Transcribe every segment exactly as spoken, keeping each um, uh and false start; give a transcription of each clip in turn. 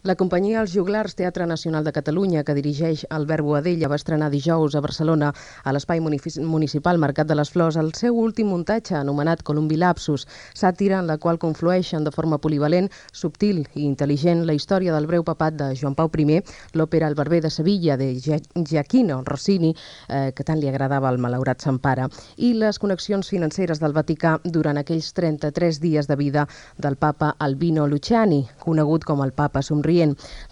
La companyia Els Joglars Teatre Nacional de Catalunya, que dirigeix Albert Boadella, va estrenar dijous a Barcelona, a l'espai municipal Mercat de les Flors, el seu últim muntatge, anomenat Columbi Lapsus, sàtira en la qual conflueixen de forma polivalent, subtil i intel·ligent la història del breu papat de Joan Pau primer, l'òpera El barber de Sevilla, de Giacchino Rossini, eh, que tant li agradava al malaurat sant pare, i les connexions financeres del Vaticà durant aquells trenta-tres dies de vida del papa Albino Luciani, conegut com el papa somrient.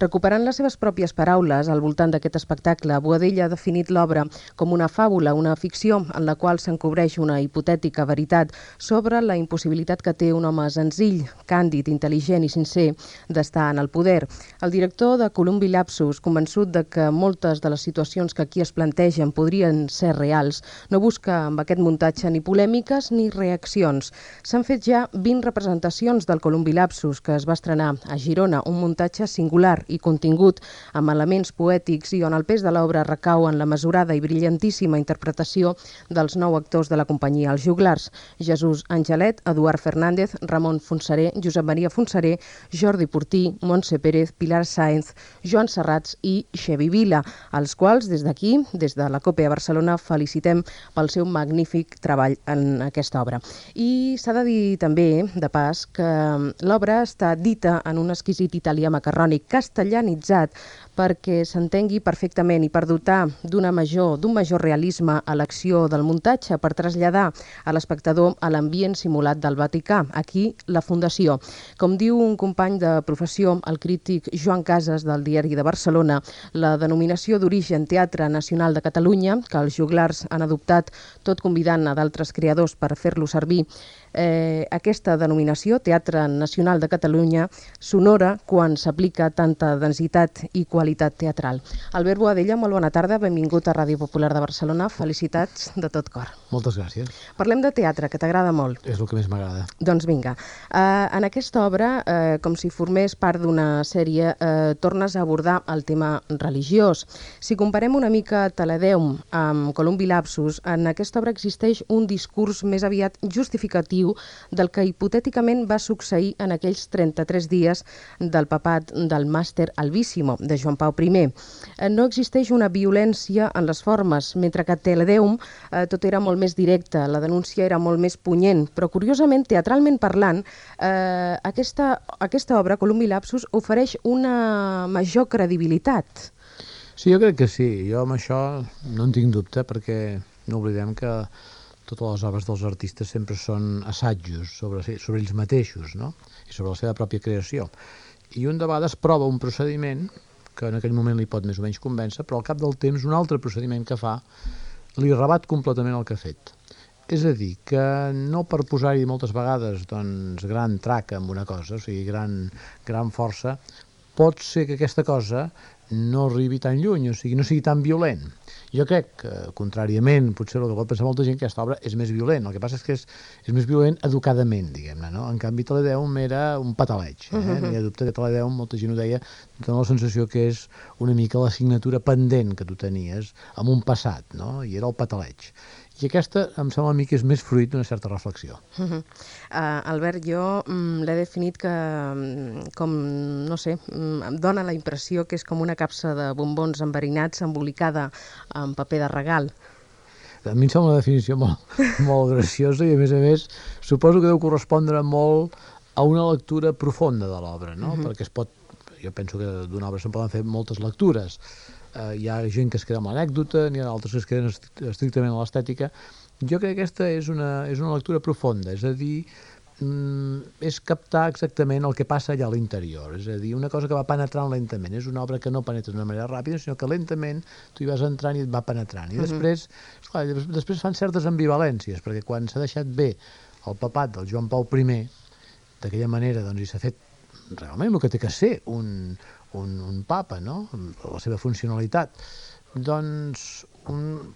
Recuperant les seves pròpies paraules al voltant d'aquest espectacle, Boadella ha definit l'obra com una fàbula, una ficció en la qual s'encobreix una hipotètica veritat sobre la impossibilitat que té un home senzill, càndid, intel·ligent i sincer d'estar en el poder. El director de Columbi Lapsus, convençut de que moltes de les situacions que aquí es plantegen podrien ser reals, no busca amb aquest muntatge ni polèmiques ni reaccions. S'han fet ja vint representacions del Columbi Lapsus, que es va estrenar a Girona, un muntatge singular i contingut amb elements poètics i on el pes de l'obra recau en la mesurada i brillantíssima interpretació dels nou actors de la companyia Els Joglars: Jesús Angelet, Eduard Fernández, Ramon Fonseré, Josep Maria Fonseré, Jordi Portí, Montse Pérez, Pilar Sáenz, Joan Serrats i Xevi Vila, als quals des d'aquí, des de la COPE a Barcelona, felicitem pel seu magnífic treball en aquesta obra. I s'ha de dir també, de pas, que l'obra està dita en un exquisit italià macarrònic castellanitzat perquè s'entengui perfectament i per dotar d'una major, d'un major realisme a l'acció del muntatge, per traslladar a l'espectador a l'ambient simulat del Vaticà, aquí la Fundació. Com diu un company de professió, el crític Joan Casas del Diari de Barcelona, la denominació d'origen Teatre Nacional de Catalunya, que els Joglars han adoptat tot convidant a d'altres creadors per fer-lo servir, Eh, aquesta denominació, Teatre Nacional de Catalunya, s'honora quan s'aplica tanta densitat i qualitat teatral. Albert Boadella, molt bona tarda, benvingut a Ràdio Popular de Barcelona, felicitats de tot cor. Moltes gràcies. Parlem de teatre, que t'agrada molt. És el que més m'agrada. Doncs vinga, uh, en aquesta obra, uh, com si formés part d'una sèrie, uh, tornes a abordar el tema religiós. Si comparem una mica Teledeum amb Columbi Lapsus, en aquesta obra existeix un discurs més aviat justificatiu del que hipotèticament va succeir en aquells trenta-tres dies del papat del màster Alvíssimo, de Joan Pau primer. No existeix una violència en les formes, mentre que a Teledeum eh, tot era molt més directe, la denúncia era molt més punyent, però curiosament, teatralment parlant, eh, aquesta, aquesta obra, Columbi Lapsus, ofereix una major credibilitat. Sí, jo crec que sí. Jo amb això no en tinc dubte, perquè no oblidem que totes les obres dels artistes sempre són assajos sobre, sobre ells mateixos, no? I sobre la seva pròpia creació. I un de vegades prova un procediment que en aquell moment li pot més o menys convèncer, però al cap del temps un altre procediment que fa li rebat completament el que ha fet. És a dir, que no per posar-hi moltes vegades doncs, gran traca amb una cosa, o sigui, gran, gran força, pot ser que aquesta cosa no arribi tan lluny, o sigui, no sigui tan violent. Jo crec que, contràriament, potser el que pot pensar molta gent, que aquesta obra és més violent. El que passa és que és, és més violent educadament, diguem-ne, no? En canvi, Teledeum era un pataleig. Eh? Uh-huh. No hi ha dubte que Teledeum, molta gent ho deia, dona la sensació que és una mica la signatura pendent que tu tenies amb un passat, no? I era el pataleig. I aquesta, em sembla a mi, que és més fruit d'una certa reflexió. Uh-huh. uh, Albert, jo mm, l'he definit que, com, no sé, mm, em dona la impressió que és com una capsa de bombons enverinats embolicada en paper de regal. A mi em sembla una definició molt, molt graciosa i, a més a més, suposo que deu correspondre molt a una lectura profunda de l'obra, no? Uh-huh. Perquè es pot, jo penso que d'una obra se'n poden fer moltes lectures. Uh, hi ha gent que es queda amb l'anècdota, n'hi ha altres que es queden estrictament a l'estètica. Jo crec que aquesta és una, és una lectura profunda, és a dir, mm, és captar exactament el que passa allà a l'interior, és a dir, una cosa que va penetrant lentament. És una obra que no penetra d'una manera ràpida, sinó que lentament tu hi vas entrant i et va penetrant. I després, esclar, després fan certes ambivalències, perquè quan s'ha deixat bé el papat del Joan Pau primer, d'aquella manera, doncs, i s'ha fet realment el que té que ser un... Un, un papa, no? La seva funcionalitat, doncs un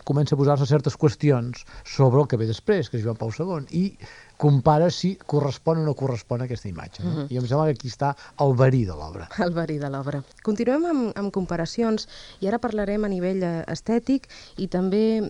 comença a posar-se certes qüestions sobre el que ve després, que és Joan Pau segon, i compara si correspon o no correspon a aquesta imatge. No? Uh-huh. I em sembla que aquí està el verí de l'obra. El verí de l'obra. Continuem amb, amb comparacions i ara parlarem a nivell estètic i també,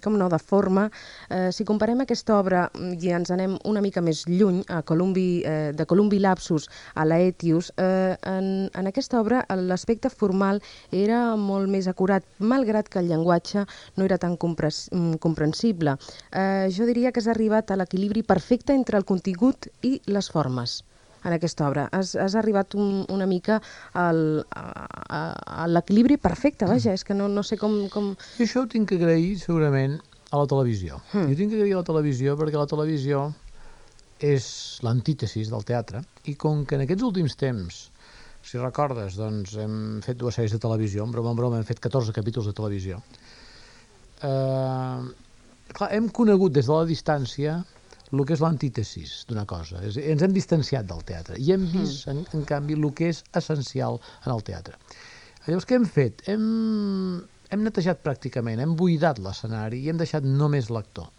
com no, de forma. Eh, si comparem aquesta obra i ens anem una mica més lluny, a Columbi, eh, de Columbi Lapsus a l'Aetius, eh, en, en aquesta obra l'aspecte formal era molt més acurat, malgrat que el llenguatge no era tan comprensible. Eh, jo diria que has arribat a l'equilibri perfecte entre el contingut i les formes en aquesta obra. Has, has arribat un, una mica al, a, a, a l'equilibri perfecte, vaja, és que no, no sé com... com... I això ho tinc que agrair segurament a la televisió. Mm. Jo tinc que agrair a la televisió perquè la televisió és l'antítesis del teatre i com que en aquests últims temps, si recordes, doncs hem fet dues sèries de televisió, en broma en broma hem fet catorze capítols de televisió. Eh... Clar, hem conegut des de la distància el que és l'antítesis d'una cosa. És, ens hem distanciat del teatre i hem vist, en, en canvi, el que és essencial en el teatre. Llavors, què hem fet? Hem, hem netejat pràcticament, hem buidat l'escenari i hem deixat només l'actor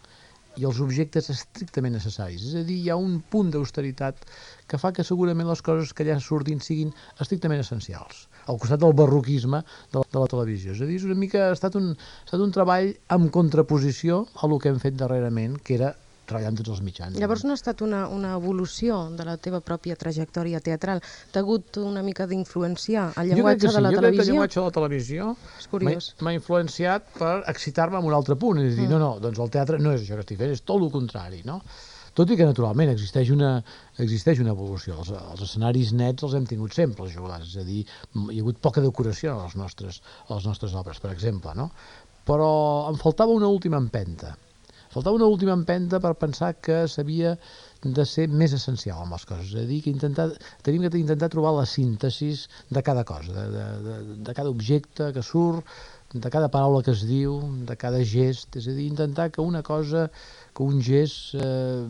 i els objectes estrictament necessaris. És a dir, hi ha un punt d'austeritat que fa que segurament les coses que allà surtin siguin estrictament essencials, al costat del barroquisme de la, de la televisió. És a dir, és una mica, ha estat un, ha estat un treball en contraposició a el que hem fet darrerament, que era treballar amb tots els mitjans. Llavors no ha estat una, una evolució de la teva pròpia trajectòria teatral? T'ha hagut una mica d'influenciar el llenguatge sí. de la jo televisió? Jo crec que el llenguatge de la televisió m'ha influenciat per excitar-me en un altre punt. És a dir, mm. no, no, doncs el teatre no és això que estic fent, és tot el contrari, no? Tot i que, naturalment, existeix una, existeix una evolució. Els, els escenaris nets els hem tingut sempre, els jugulars. És a dir, hi ha hagut poca decoració a les nostres, a les nostres obres, per exemple, no? Però em faltava una última empenta. Faltava una última empenta per pensar que s'havia de ser més essencial amb les coses. És a dir, que intentar, tenim que intentar trobar la síntesis de cada cosa, de, de, de, de cada objecte que surt, de cada paraula que es diu, de cada gest. És a dir, intentar que una cosa, que un gest eh,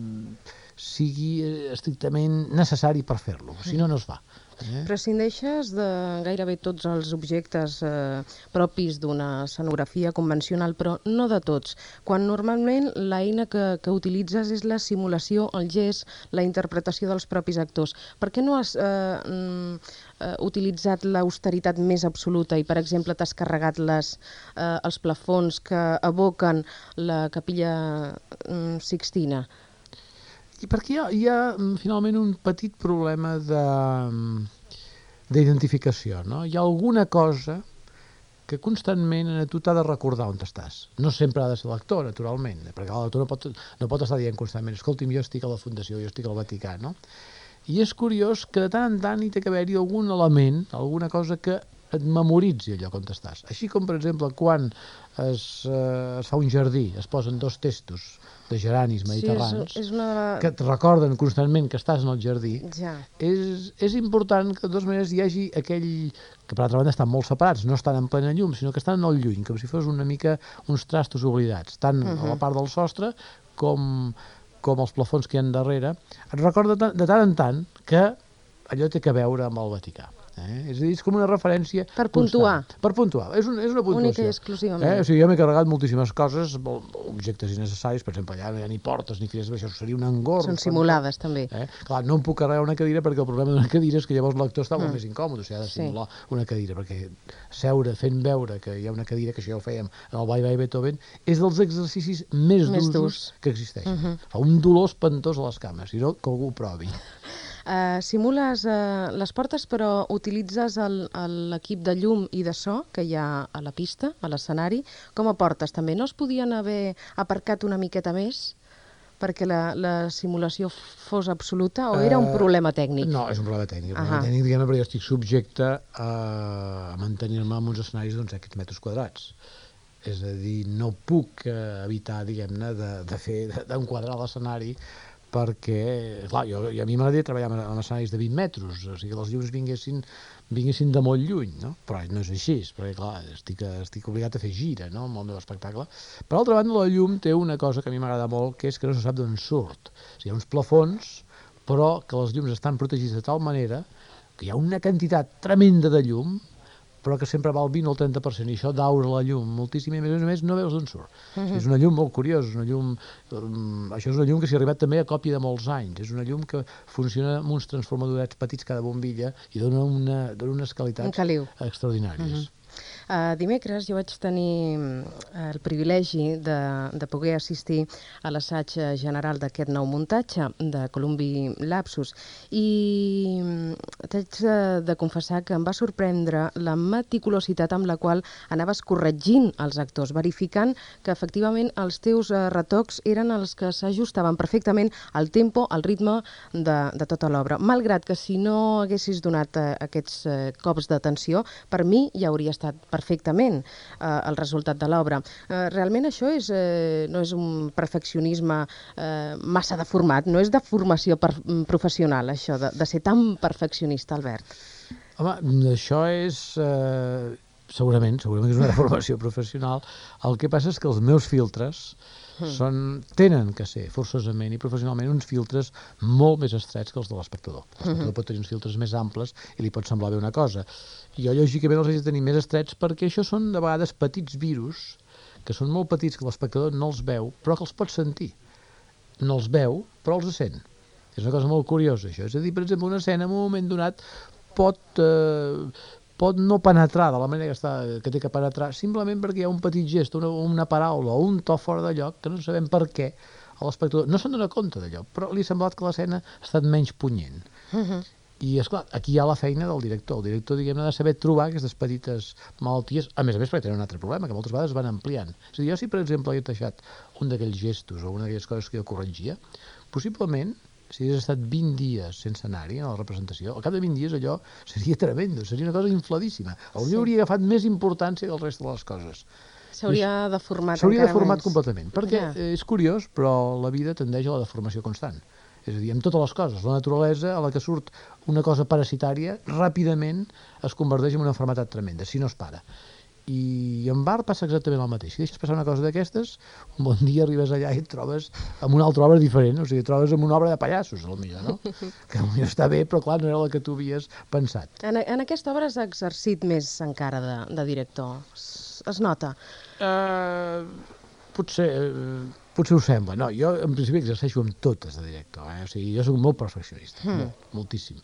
sigui estrictament necessari per fer-lo, si no, no es fa. Eh? Prescindeixes de gairebé tots els objectes eh, propis d'una escenografia convencional, però no de tots. Quan normalment l'eina que, que utilitzes és la simulació, el gest, la interpretació dels propis actors. Per què no has eh, eh, utilitzat l'austeritat més absoluta i, per exemple, t'has carregat les, eh, els plafons que evoquen la capella eh, Sixtina? I perquè hi ha, hi ha finalment un petit problema de d'identificació, no? Hi ha alguna cosa que constantment a tu t'ha de recordar on estàs. No sempre ha de ser l'actor, naturalment, perquè l'actor no pot, no pot estar dient constantment escolti'm, jo estic a la Fundació, jo estic al Vaticà, no? I és curiós que de tant en tant hi té que haver-hi algun element, alguna cosa que et memoritzi allò on estàs. Així com, per exemple, quan es, eh, es fa un jardí, es posen dos testos de geranis mediterranis, sí, és, és una... que et recorden constantment que estàs en el jardí, ja. és, és important que de totes maneres hi hagi aquell, que per altra banda estan molt separats, no estan en plena llum, sinó que estan en el lluny, com si fos una mica uns trastos oblidats, tant uh-huh. a la part del sostre com, com els plafons que hi ha darrere. Et recorda de tant en tant que allò té que veure amb el Vaticà. Eh? És a dir, és com una referència per puntuar. Constant. Per puntuar, és, un, és una puntuació. Única i exclusivament. Eh? O sigui, jo m'he carregat moltíssimes coses, objectes innecessaris, per exemple, allà no hi ha ni portes ni finestres, això seria un engorg. Són simulades, quan... també. Eh? Clar, no em puc carregar una cadira perquè el problema d'una cadira és que llavors l'actor està mm. molt més incòmode, o sigui, ha de simular sí. una cadira, perquè seure fent veure que hi ha una cadira, que això ja ho fèiem en el Bye Bye Beethoven, és dels exercicis més, més durs que existeixen. Uh -huh. Fa un dolor espantós a les cames, si no, que algú ho provi. Uh, simules uh, les portes, però utilitzes l'equip de llum i de so que hi ha a la pista, a l'escenari, com a portes també. No es podien haver aparcat una miqueta més perquè la, la simulació fos absoluta o era un problema tècnic? Uh, no, és un problema tècnic. Un problema tècnic, diguem-ne, perquè jo estic subjecte a mantenir-me en uns escenaris d'uns aquests metres quadrats. És a dir, no puc evitar, diguem-ne, de, de fer, d'enquadrar l'escenari perquè, clar, jo, a mi m'agradaria treballar en escenaris de vint metres, o sigui, que els llums vinguessin, vinguessin de molt lluny, no? Però no és així, perquè, clar, estic, estic obligat a fer gira, no?, amb el meu espectacle. Per altra banda, la llum té una cosa que a mi m'agrada molt, que és que no se sap d'on surt. O sigui, hi ha uns plafons, però que les llums estan protegits de tal manera que hi ha una quantitat tremenda de llum, però que sempre va al vint o el trenta per cent, i això daura la llum moltíssim, i a més a més no veus d'on surt. Uh -huh. És una llum molt curiosa, és una llum... Um, això és una llum que s'hi ha arribat també a còpia de molts anys, és una llum que funciona amb uns transformadorets petits cada bombilla i dona, una, dona unes qualitats extraordinàries. Uh -huh. Uh, dimecres jo vaig tenir uh, el privilegi de, de poder assistir a l'assaig general d'aquest nou muntatge de Columbi Lapsus i t'haig de, de confessar que em va sorprendre la meticulositat amb la qual anaves corregint els actors, verificant que efectivament els teus uh, retocs eren els que s'ajustaven perfectament al tempo, al ritme de, de tota l'obra. Malgrat que si no haguessis donat uh, aquests uh, cops d'atenció, per mi ja hauria estat perfectament eh, el resultat de l'obra. Eh, realment això és, eh, no és un perfeccionisme eh, massa deformat, no és de formació per, professional, això, de, de ser tan perfeccionista, Albert. Home, això és... Eh, segurament, segurament que és una formació professional. El que passa és que els meus filtres són, tenen que ser forçosament i professionalment uns filtres molt més estrets que els de l'espectador. L'espectador uh -huh. pot tenir uns filtres més amples i li pot semblar bé una cosa. I jo, lògicament, els haig de tenir més estrets perquè això són, de vegades, petits virus que són molt petits, que l'espectador no els veu, però que els pot sentir. No els veu, però els sent. És una cosa molt curiosa, això. És a dir, per exemple, una escena, en un moment donat, pot... Eh, pot no penetrar de la manera que, està, que té que penetrar, simplement perquè hi ha un petit gest, una, una paraula o un to fora de lloc que no sabem per què a l'espectador no se'n dona compte d'allò, però li ha semblat que l'escena ha estat menys punyent. Uh -huh. I, esclar, aquí hi ha la feina del director. El director, diguem-ne, ha de saber trobar aquestes petites malalties, a més a més perquè tenen un altre problema, que moltes vegades van ampliant. És a dir, jo si, per exemple, he deixat un d'aquells gestos o una d'aquelles coses que jo corregia, possiblement, si hagués estat vint dies sense anar-hi a la representació, al cap de vint dies allò seria tremendo, seria una cosa infladíssima. Potser sí. hauria agafat més importància que el rest de les coses. S'hauria deformat encara S'hauria deformat més. completament, perquè ja. és curiós, però la vida tendeix a la deformació constant. És a dir, amb totes les coses. La naturalesa, a la que surt una cosa parasitària, ràpidament es converteix en una malaltia tremenda, si no es para. I amb art passa exactament el mateix. Si deixes passar una cosa d'aquestes, un bon dia arribes allà i et trobes amb una altra obra diferent, o sigui, et trobes amb una obra de pallassos, potser, no? Que potser està bé, però clar, no era la que tu havies pensat. En, en aquesta obra has exercit més encara de, de director. Es, es nota? Uh, potser... Uh, Potser ho sembla. No, jo en principi exerceixo amb totes de director, eh? O sigui, jo soc molt perfeccionista, mm. molt, moltíssim.